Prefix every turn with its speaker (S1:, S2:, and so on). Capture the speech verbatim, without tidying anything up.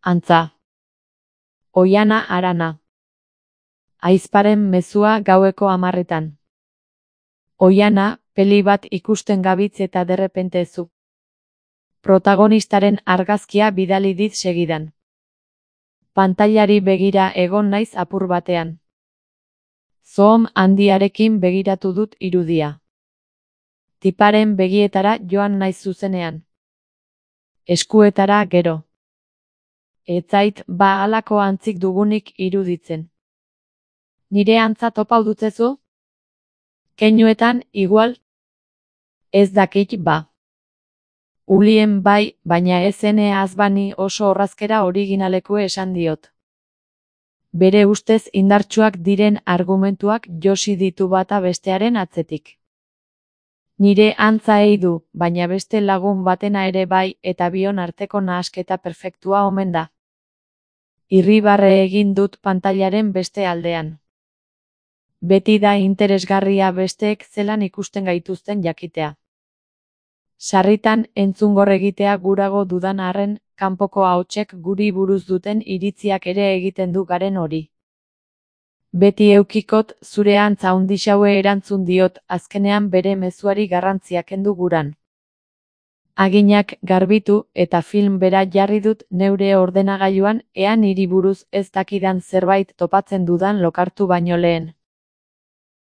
S1: Antza. Oihana Arana. Ahizparen mezua gaueko hamarretan. Oihana, peli bat ikusten gabitz eta derrepente zu. Protagonistaren argazkia bidali dit segidan. Pantailari begira egon naiz apur batean. Zoom handiarekin begiratu dut irudia. Tiparen begietara joan naiz zuzenean. Eskuetara gero. Ez zait ba halako antzik dugunik iruditzen. Nire antza topau dutzezu? Keinuetan, igual? Ez dakit ba. Ulien bai, baina ez ene azbani oso orrazkera originaleku esan diot. Bere ustez indartsuak diren argumentuak josi ditu bata bestearen atzetik. Nire antza ei du, baina beste lagun batena ere bai eta bion arteko nahasketa perfektua omen da. Irribarre egin dut pantailaren beste aldean. Beti da interesgarria besteek zelan ikusten gaituzten jakitea. Sarritan entzungor egitea gurago dudan arren, kanpoko ahotsek guri buruz duten iritziak ere egiten du garen hori. Beti eukikot zure antza handixaue erantzun diot azkenean bere mezuari garrantzia kendu guran. Aginak garbitu eta film bera jarri dut neure ordenagailuan ea niri buruz ez dakidan zerbait topatzen dudan lokartu baino lehen.